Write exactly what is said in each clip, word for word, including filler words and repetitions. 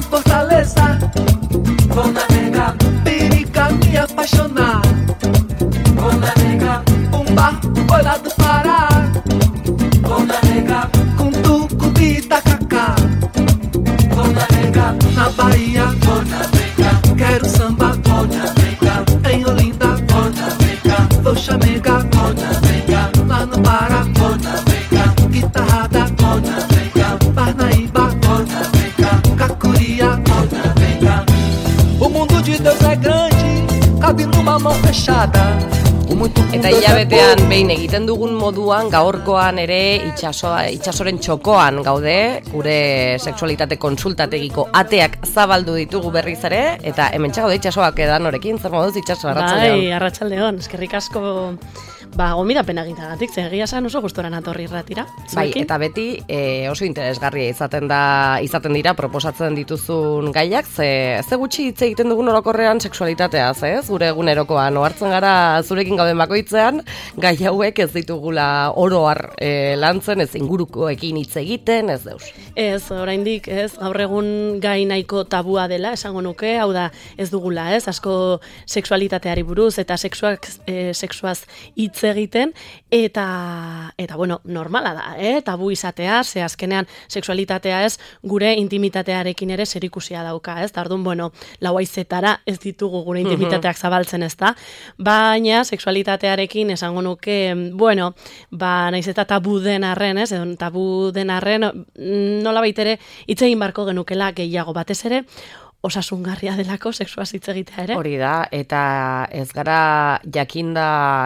em Fortaleza. Vou navegar, pericar, me apaixonar. Vou navegar, um barco foi lá do Pará. Vou navegar, com tucupi e tacacá. Vou navegar, na Bahia. Vou navegar, quero samba. Vou navegar, em Olinda. Vou navegar, vou chamegar. Vou navegar, lá no Pará. Vou navegar, guitarrada. Vou navegar, Parnaíba. Vou navegar, Cacuria. Vou navegar. O mundo de Deus é grande, cabe numa mão fechada. Eta hilabetean behin egiten dugun moduan gaurkoan ere itxasoa, itxasoren txokoan gaude, gure sexualitate konsultategiko ateak zabaldu ditugu berriz ere, eta hemen txagaude itxasoak edan horekin, zer moduz itxaso, arratsaldeon. Bai, arratsaldeon, eskerrik asko ba, gomidapena egitagatik, zen egia esan oso gustora natorri irratira. Bai, eta beti e, oso interesgarria izaten da izaten dira proposatzen dituzun gaiak, ze, ze gutxi hitz egiten dugun orokorrean sexualitateaz, ez? Gure egunerokoan ohartzen gara zurekin gauden bakoitzean, gai hauek ez ditugula oro har e, lantzen, ez ingurukoekin hitz egiten, ez deus. Ez, oraindik, ez, gaur egun gai nahiko tabua dela, esango nuke, hau da, ez dugula, ez, asko sexualitateari buruz eta sexuak, e, sexuaz hitz egiten, eta, eta bueno, normala da, eh? Tabu izatea, ze azkenean sexualitatea ez, gure intimitatearekin ere zerikusia dauka, ez? Tardun, bueno, lau haizetara ez ditugu gure intimitateak zabaltzen, ez da? Baina, sexualitatearekin esango nuke, bueno, ba, naiz eta tabu den arren, ez? Edo, tabu den arren, nola baitere, hitz egin barko genukela gehiago batez ere, osasungarria delako sexuaz hitz egitea ere. Hori da, eta ez gara jakinda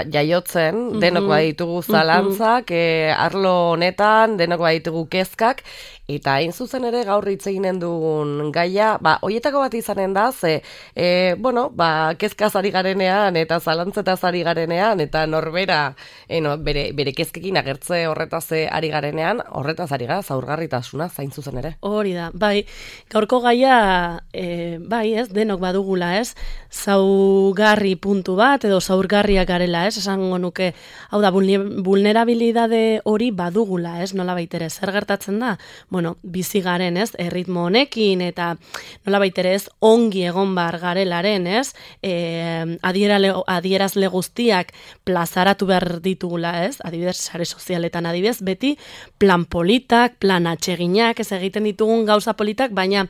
jaiotzen, mm-hmm. denok baditugu zalantzak, mm-hmm. e, arlo honetan, denok baditugu kezkak, eta hain zuzen ere gaur hitz eginen dugun gaia, ba, hoietako bat izanen da, ze, e, bueno, ba, kezkaz ari garenean, eta zalantzetaz ari garenean, eta norbera, e, no, bere, bere kezkekin agertze horretaz ari garenean, horretaz ari gara, zaurgarritasuna, zain zuzen ere. Hori da, bai, gaurko gaia, e, bai, ez, denok badugula, ez, zaugarri puntu bat, edo zaurgarriak garela, ez, esango nuke, hau da, vulnerabilidade hori badugula, ez, nola baitere, zer gertatzen da? Bueno, bizi garen, ez, erritmo honekin, eta nola baitere ez, ongi egon bar garelaren, ez, e, adierazle guztiak plazaratu behar ditugula, ez, adibidez, sare sozialetan adibidez, beti plan politak, plan atseginak, ez egiten ditugun gauza politak, baina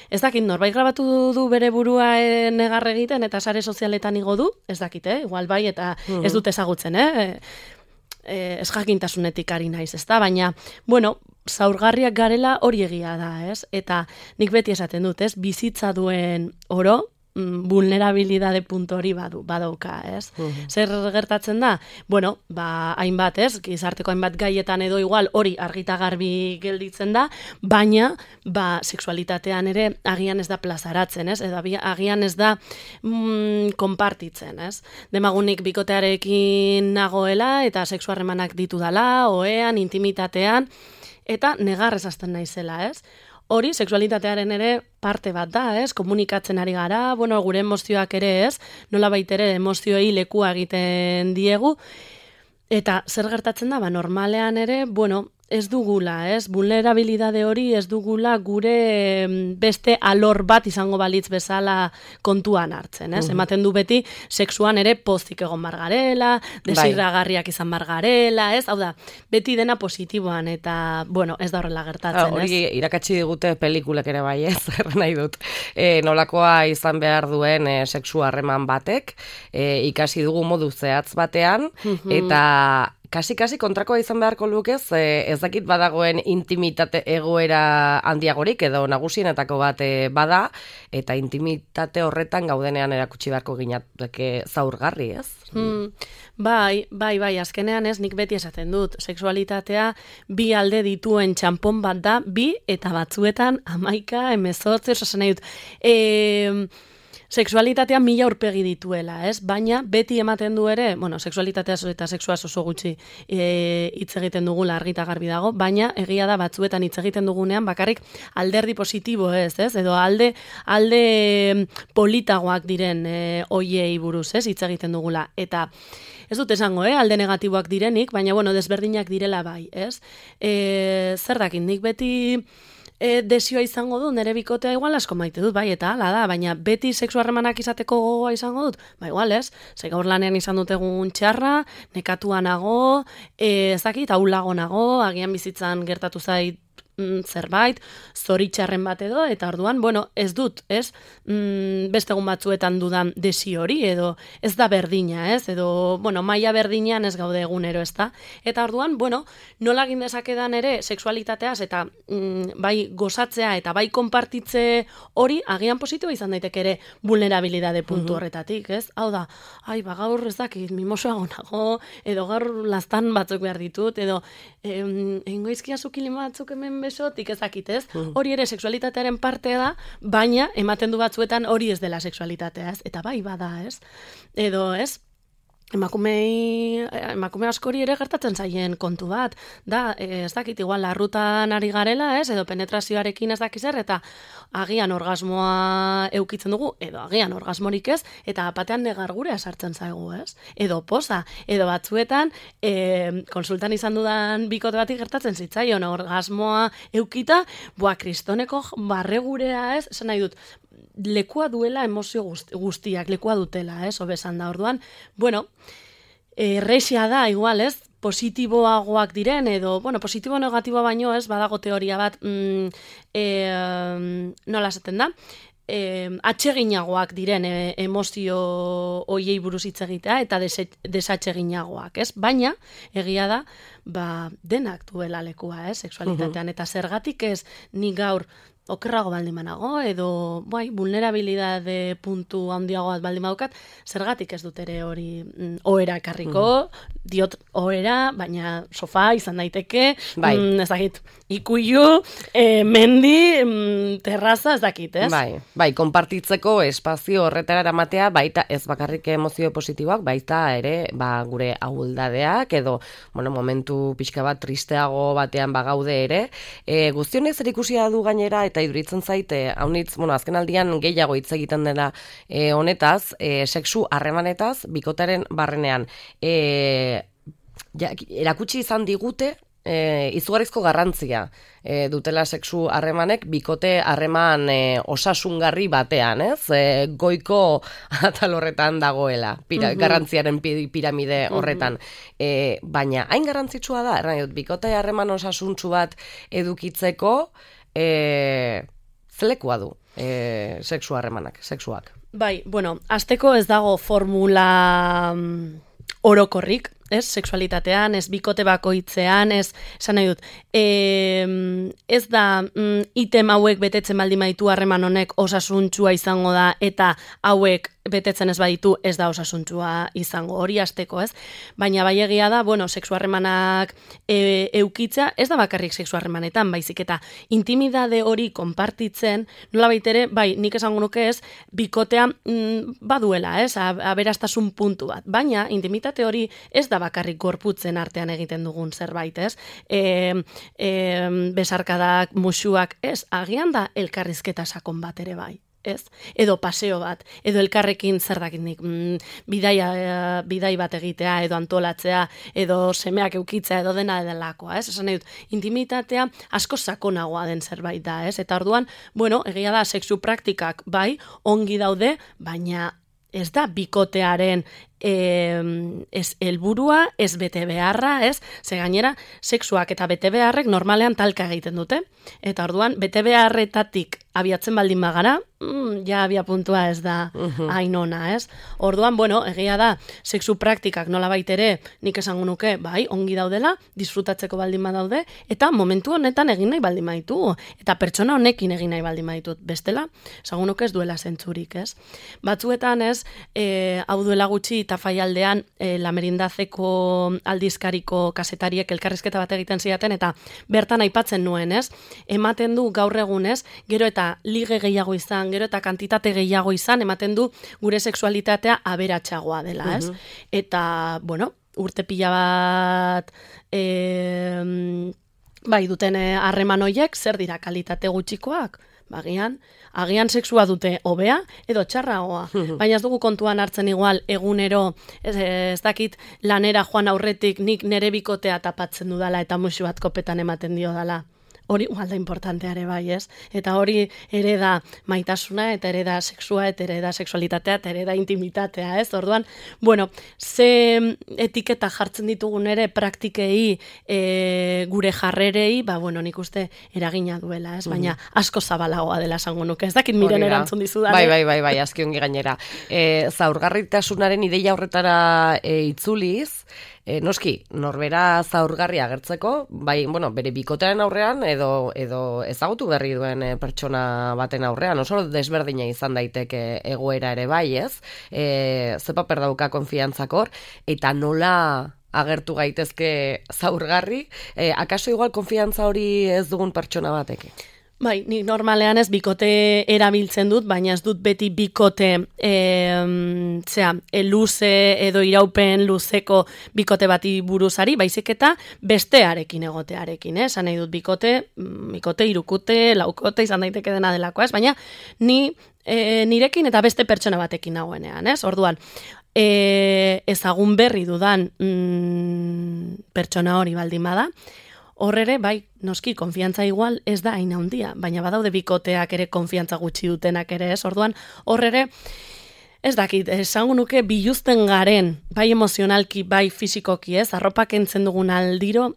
ez dakit, norbait grabatu du bere burua negar egiten, eta sare sozialetan igo du, ez dakit, eh? Igual bai, eta ez dut ezagutzen, eh? Ez jakintasunetik ari naiz, ez da, baina, bueno, zaurgarriak garela hori egia da, ez? Eta nik beti esaten dut, ez? Bizitza duen oro, vulnerabilidade puntu hori badu, badauka, ez? Uh-huh. Zer gertatzen da? Bueno, ba, hainbat, ez? Gizarteko hainbat gaietan edo igual hori argita garbi gelditzen da, baina, ba, sexualitatean ere agian ez da plazaratzen, ez? Edo agian ez da mm, konpartitzen, ez? Demagunik bikotearekin nagoela eta sexu harremanak ditu dala, oean, intimitatean, eta negarrez hasten naizela, ez? Hori, sexualitatearen ere parte bat da, ez? Komunikatzen ari gara, bueno, gure emozioak ere, ez? Nola baitere emozioei lekua egiten diegu. Eta zer gertatzen da, ba, normalean ere, bueno, ez dugula, ez? Vulnerabilidade hori ez dugula gure beste alor bat izango balitz bezala kontuan hartzen, ez? Uh-huh. Ematen du beti, sexuan ere pozik egon bargarela, desirragarriak izan bargarela, ez? Hau da, beti dena positiboan, eta, bueno, ez da horrela gertatzen, ez? Hori irakatsi digute pelikulek ere bai, ez? Erra nahi dut. E, nolakoa izan behar duen e, sexu harreman batek, e, ikasi dugu modu zehatz batean, uh-huh. eta kasi-kasi kontrakoa izan beharko lukez, ez dakit badagoen intimitate egoera handiagorik edo nagusienetako bat bada, eta intimitate horretan gaudenean erakutsi beharko ginateke zaurgarri, ez? Hmm, bai, bai, bai, azkenean ez, nik beti esaten dut, sexualitatea bi alde dituen txanpon bat da, bi eta batzuetan hamaika, hemezortzi, osasen nahi dut, eee... Sexualitatea mila aurpegi dituela, ez? Baina beti ematen du ere, bueno, sexualitatea eta sexuaz oso gutxi e, hitz egiten dugula argita garbi dago, baina egia da batzuetan hitz egiten dugunean bakarrik alderdi positibo ez, ez? Edo alde alde politagoak diren e, oiei buruz, ez? Hitz egiten dugula. Eta ez dut esango, eh? Alde negatiboak direnik, baina bueno, desberdinak direla bai, ez? E, zer dakit, nik beti e, desioa izango dut, nire bikotea igual asko maite dut, bai, eta hala da, baina beti sexu harremanak izateko gogoa izango dut, ba igual ez, ze gaur lanean izan dut egun txarra, nekatua nago, e, ez dakit, ahulago nago, agian bizitzan gertatu zait zerbait, zoritxarren bat edo, eta orduan, bueno, ez dut, ez, mm, beste egun batzuetan dudan desi hori, edo ez da berdina, ez, edo, bueno, maila berdinean ez gaude egunero, ez da, eta orduan, bueno, nola egin dezakedan ere sexualitateaz, eta mm, bai gozatzea, eta bai konpartitze hori, agian positibo izan daiteke ere vulnerabilidade puntu horretatik, ez, hau da, ai, ba, gaur ez dakit, mimosoago nago, edo gaur lastan batzuk behar ditut, edo, em, engoizkia zukilin batzuk hemen besotik ezakit, ez? Hori ere sexualitatearen partea da, baina ematen du batzuetan hori ez dela sexualitatea, ez? Eta bai bada, ez? Edo, ez? Emakumei, emakume askori ere gertatzen zaien kontu bat, da, ez dakit, igual, larrutan ari garela, ez, edo penetrazioarekin ez dakiz zer, eta agian orgasmoa eukitzen dugu, edo agian orgasmorik ez, eta batean negargurea sartzen zaigu, ez, edo poza, edo batzuetan, e, konsultan izan dudan bikote batik gertatzen zitzaion, orgasmoa eukita, boa, kristoneko barregurea, ez, esan nahi dut, lekua duela emozio guztiak, lekua dutela, ez, obesan da, orduan, bueno, errexia da, igual, ez, positiboagoak diren, edo, bueno, positibo negatibo baino, ez, badago teoria bat, mm, e, nola esaten da, e, atseginagoak diren e, emozio hoiei buruz hitz egitea, eta desatseginagoak, ez, baina, egia da, ba, denak duela lekua, ez, sexualitatean, eta zergatik ez, ni gaur, okerrago baldin manago, edo, bai, vulnerabilidade puntu handiago bat baldin badaukat, zergatik ez dut ere hori mm, ohera ekarriko, mm. diot ohera, baina sofa izan daiteke, bai. mm, ez dakit, ikuilu, e, mendi, mm, terraza, ez dakit, ez? Bai, bai, konpartitzeko espazio horretara eramatea, baita ez bakarrik emozio positiboak, baita ere, ba, gure ahuldadeak, edo, bueno, momentu pixka bat tristeago batean bagaude ere, e, guztionez zer ikusia du gainera, eta iduritzen zaite, haunitz, bueno, azken aldian gehiago hitz egiten dela e, honetaz, e, sexu harremanetaz, bikotaren barrenean. E, ja, erakutsi izan digute, e, izugarrizko garrantzia e, dutela sexu harremanek, bikote harreman e, osasungarri batean, ez? E, goiko atal horretan dagoela, pira, uh-huh. garrantziaren piramide horretan. Uh-huh. E, baina, hain garrantzitsua da, erran dut, bikote harreman osasuntsu bat edukitzeko, E, zelekua du e, sexu harremanak, sexuak. Bai, bueno, azteko ez dago formula mm, orokorrik, ez, sexualitatean, ez bikote bakoitzean, ez, esan nahi dut, e, ez da mm, item hauek betetzen baldin baditu harreman honek osasuntsua izango da, eta hauek betetzen ez baditu ez da osasuntsua izango, hori hasteko, ez? Baina bai egia da, bueno, sexu harremanak e, eukitza, ez da bakarrik sexu harremanetan, baizik eta intimidade hori konpartitzen, nola baitere, bai, nik esango nuke ez, bikotea mm, baduela, ez? Aberastasun puntu bat, baina intimitate hori ez da bakarrik gorputzen artean egiten dugun zerbait, ez? E, e, besarkadak, musuak, ez? Agian da elkarrizketa sakon bat ere bai. Ez? Edo paseo bat, edo elkarrekin zer dakitnik, mm, bidaia, bidai bat egitea, edo antolatzea, edo semeak eukitzea, edo dena edelakoa, ez? Esan nahi dut, intimitatea asko sakonagoa den zerbait da, ez? Eta orduan, bueno, egia da, sexu praktikak bai, ongi daude, baina ez da bikotearen e, ez helburua, ez bete beharra, ez? Ze gainera, sexuak eta bete beharrek normalean talka egiten dute. Eta orduan, bete beharretatik abiatzen baldin bagara, mm, ja abia puntua ez da uh-huh. hain ona, ez? Orduan, bueno, egia da, sexu praktikak nola baitere, nik esango nuke, bai, ongi daudela, disfrutatzeko baldin badaude, eta momentu honetan egin nahi baldin baditu, eta pertsona honekin egin nahi baldin baditut, bestela, esango nuke ez duela zentzurik, ez? Batzuetan, ez, e, hau duela gutxi, eta faialdean, e, Lamerindazeko aldizkariko kasetariek elkarrizketa bat egiten zidaten, eta bertan aipatzen nuen, ez? Ematen du gaur egunez, gero eta lige gehiago izan, gero eta kantitate gehiago izan, ematen du gure sexualitatea aberatsagoa dela, ez? Uh-huh. Eta, bueno, urte pila bat e, bai duten harreman hoiek, zer dira kalitate gutxikoak? Bagian, agian sexua dute hobea edo txarragoa. Baina ez dugu kontuan hartzen igual egunero, ez, ez dakit lanera joan aurretik nik nere bikotea tapatzen dudala eta musu bat kopetan ematen dio dala. hori igual da importantea ere bai, ez? Eta hori ere da maitasuna, eta ere da sexua, eta ere da sexualitatea, eta ere da intimitatea, ez? Orduan, bueno, ze etiketa jartzen ditugun ere praktikei, e, gure jarrerei, ba, bueno, nik uste eragina duela, ez? Baina asko zabalagoa dela esango nuke, ez dakit miren erantzun dizudan. Bai, bai, bai, bai, azki ongi gainera. E, zaurgarritasunaren ideia horretara e, itzuliz, e, noski, norbera zaurgarria agertzeko, bai, bueno, bere bikotearen aurrean, edo, edo ezagutu berri duen e, pertsona baten aurrean, oso desberdina izan daiteke egoera ere bai, ez? E, ze paper dauka konfiantzakor, eta nola agertu gaitezke zaurgarri, e, akaso igual konfiantza hori ez dugun pertsona batekin? Bai, nik normalean ez bikote erabiltzen dut, baina ez dut beti bikote e, zera, e, luze edo iraupen luzeko bikote bati buruzari, baizik eta bestearekin egotearekin, eh? Esan nahi dut bikote, bikote, irukute, laukote, izan daiteke dena delako, ez? Baina ni e, nirekin eta beste pertsona batekin nagoenean, ez? Orduan, e, ezagun berri dudan mm, pertsona hori baldin bada, horrere, bai, noski, konfiantza igual ez da hain handia, baina badaude bikoteak ere konfiantza gutxi dutenak ere, ez? Orduan, horrere, ez dakit, esango nuke biluzten garen, bai emozionalki, bai fisikoki, ez? Arropak entzen dugun aldiro,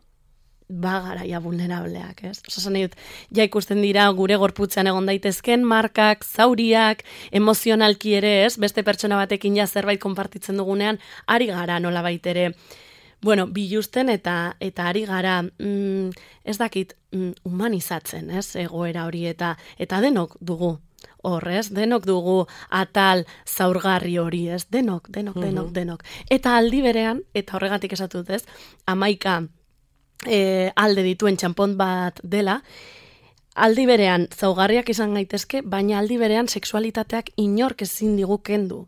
ba garaia vulnerableak, ez? Osasun nahi dut, ja ikusten dira gure gorputzean egon daitezken markak, zauriak, emozionalki ere, ez? Beste pertsona batekin ja zerbait konpartitzen dugunean, ari gara nola baitere, bueno, biluzten eta eta ari gara, mm, ez dakit, mm, humanizatzen, ez, egoera hori eta eta denok dugu, horrez, denok dugu atal zaurgarri hori, ez, denok, denok, denok, mm-hmm. denok. Eta aldi berean, eta horregatik esatut, ez, amaika e, alde dituen txampon bat dela, aldi berean zaugarriak izan gaitezke, baina aldi berean sexualitateak inork ezin digu kendu.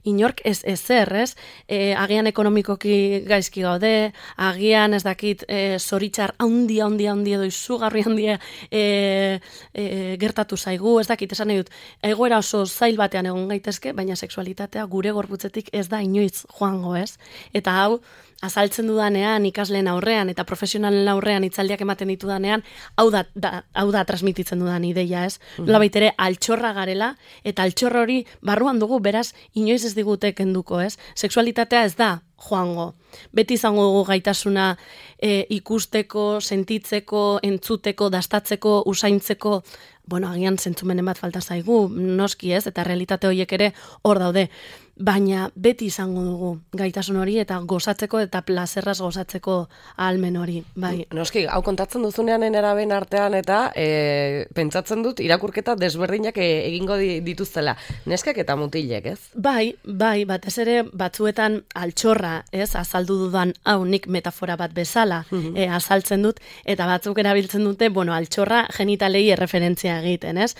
Inork ez ezer, ez? E, agian ekonomikoki gaizki gaude, agian ez dakit e, zoritxar handia, handia, handia edo izugarri handia e, e, gertatu zaigu, ez dakit, esan nahi dut, egoera oso zail batean egon gaitezke, baina sexualitatea gure gorputzetik ez da inoiz joango, ez? Eta hau, azaltzen dudanean, ikasleen aurrean eta profesionalen aurrean hitzaldiak ematen ditudanean, hau da, da, hau da transmititzen dudan ideia, ez? Mm-hmm. Nola baitere, altxorra garela, eta altxorra hori barruan dugu, beraz, inoiz ez digute kenduko, ez? Sexualitatea ez da joango. Beti izango dugu gaitasuna e, ikusteko, sentitzeko, entzuteko, dastatzeko, usaintzeko, bueno, agian zentzumenen bat falta zaigu, noski ez, eta realitate horiek ere hor daude. Baina beti izango dugu gaitasun hori eta gozatzeko eta plazerraz gozatzeko ahalmen hori, bai. Noski, hau kontatzen duzunean eneraben artean eta e, pentsatzen dut irakurketa desberdinak egingo dituztela. Neskak eta mutilek, ez? Bai, bai, batez ere batzuetan altxorra, ez, azaldu dudan hau nik metafora bat bezala mm-hmm. e, azaltzen dut, eta batzuk erabiltzen dute, bueno, altxorra genitalei erreferentzia egiten, ez?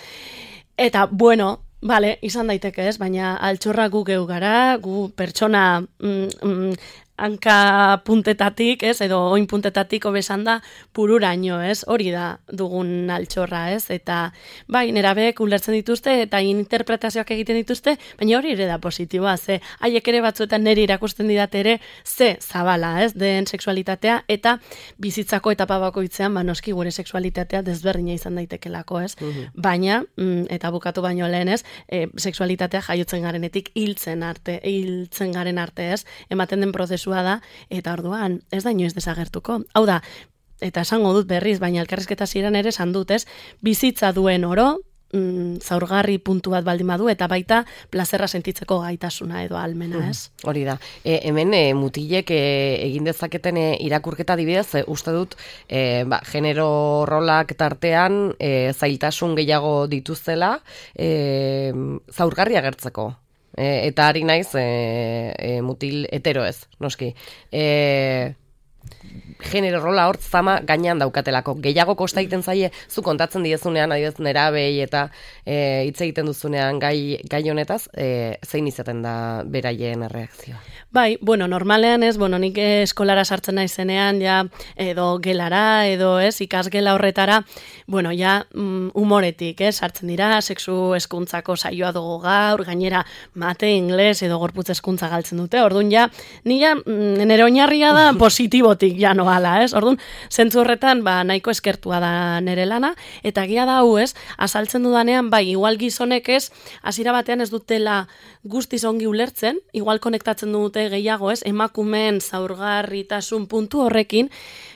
Eta, bueno, Bale, izan daiteke ez, baina altxorra gu geu gara, gu pertsona mm, mm, hanka puntetatik, ez, edo oin puntetatik obesan da pururaino, ez, hori da dugun altxorra, ez, eta bai, nerabek ulertzen dituzte eta interpretazioak egiten dituzte, baina hori ere da positiboa, ze haiek ere batzuetan niri irakusten didate ere, ze zabala, ez, den sexualitatea, eta bizitzako etapa bakoitzean, ba, noski gure sexualitatea desberdina izan daitekelako, ez, mm-hmm. baina, mm, eta bukatu baino lehen, ez, e, sexualitatea jaiotzen garenetik hiltzen arte, hiltzen garen arte, ez, ematen den prozesu da, eta orduan ez da inoiz desagertuko. Hau da, eta esango dut berriz, baina elkarrizketa ziren ere esan dut, ez? Bizitza duen oro, mm, zaurgarri puntu bat baldin badu, eta baita plazerra sentitzeko gaitasuna edo almena, ez? Mm, hori da. E, hemen e, mutilek e, egin dezaketen e, irakurketa dibidez, e, uste dut, e, ba, genero rolak tartean e, zailtasun gehiago dituztela, e, zaurgarri agertzeko. E, eta ari naiz e, e, mutil hetero ez, noski. E, genero rola hort zama gainean daukatelako. Gehiago kosta egiten zaie, zu kontatzen diezunean, adibidez nerabei eta e, hitz egiten duzunean gai, gai honetaz, e, zein izaten da beraien erreakzioa? Bai, bueno, normalean ez, bueno, nik eskolara sartzen naizenean, ja, edo gelara, edo ez, ikasgela horretara, bueno, ja, mm, humoretik, ez, sartzen dira, sexu hezkuntzako saioa dugu gaur, gainera mate, ingles, edo gorputz hezkuntza galtzen dute, orduan ja, ni ja, nire oinarria da positibotik hortik janoala, ez? Orduan, zentzu horretan, ba, nahiko eskertua da nere lana, eta gia da hau, ez? Azaltzen dudanean, bai, igual gizonek ez, hasiera batean ez dutela guztiz ongi ulertzen, igual konektatzen dute gehiago, ez? Emakumeen zaurgarritasun puntu horrekin,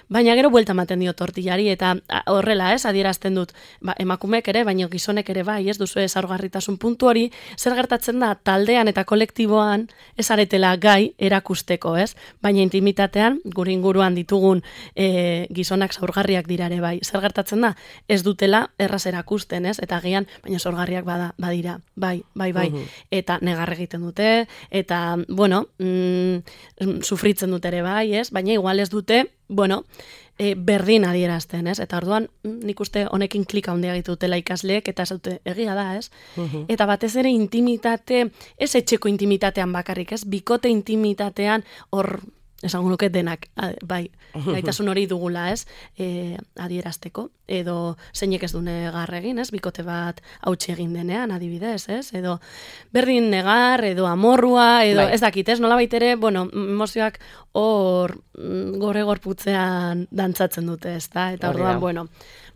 baina gero buelta ematen dio tortillari, eta horrela, ez, adierazten dut, ba, emakumeek ere, baina gizonek ere bai, ez duzu zaurgarritasun puntu hori, zer gertatzen da taldean eta kolektiboan ez aretela gai erakusteko, ez? Baina intimitatean, gure inguruan ditugun e, gizonak zaurgarriak dira ere bai, zer gertatzen da, ez dutela erraz erakusten, ez? Eta gian, baina zaurgarriak bada, badira, bai, bai, bai, uh-huh. Eta negar egiten dute, eta, bueno, mm, sufritzen dute ere bai, ez? Baina igual ez dute, bueno, e, berdin adierazten, ez? Eta orduan, nik uste honekin klika handia egiten dutela ikasleek, eta ez dute egia da, ez? Uh-huh. Eta batez ere intimitate, ez etxeko intimitatean bakarrik, ez? Bikote intimitatean hor, esango nuke denak, bai, gaitasun hori dugula, ez? E, adierazteko, edo zeinek ez du negar egin, ez? Bikote bat hautsi egin denean, adibidez, ez? Edo berdin negar, edo amorrua, edo bai. Ez dakit, ez? Nola baitere, bueno, emozioak hor gore gorputzean dantzatzen dute, ez da? Eta orduan, bueno,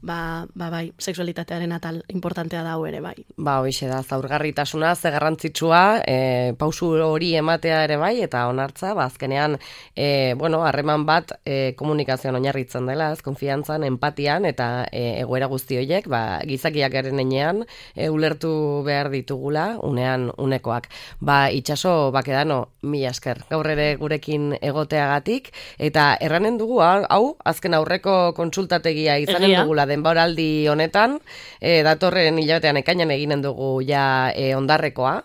ba, ba bai, sexualitatearen atal importantea da hau ere, bai. Ba, hoixe da, zaurgarritasuna, ze garrantzitsua, e, pausu hori ematea ere bai, eta onartza, ba, azkenean, e, bueno, harreman bat e, komunikazioan oinarritzen dela, ez, konfiantzan, empatian, eta e, egoera guzti horiek, ba, gizakiak garen enean, e, ulertu behar ditugula, unean unekoak. Ba, itxaso, bakedano, mila esker, gaur ere gurekin egoteagatik, eta erranen dugu, hau, azken aurreko kontsultategia izanen Egia. dugula denboraldi honetan, e, datorren hilabetean ekainan eginen dugu ja e, ondarrekoa,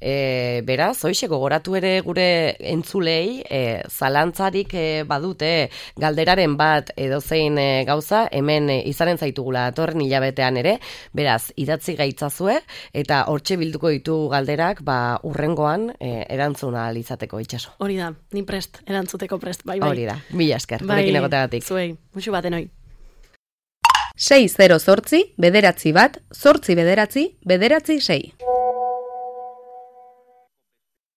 e, beraz, hoixe gogoratu ere gure entzulei, e, zalantzarik e, badute galderaren bat edozein e, gauza, hemen e, izanen zaitugula datorren hilabetean ere, beraz, idatzi gaitzazue, eta hortxe bilduko ditu galderak, ba, urrengoan e, erantzuna izateko itxaso. Hori da, ni prest, erantzuteko prest, bai, bai. Hori da, mila esker, bai, gurekin egoteagatik. Zuei, musu baten hoi. sei zero zortzi, bederatzi bat, zortzi bederatzi, bederatzi sei.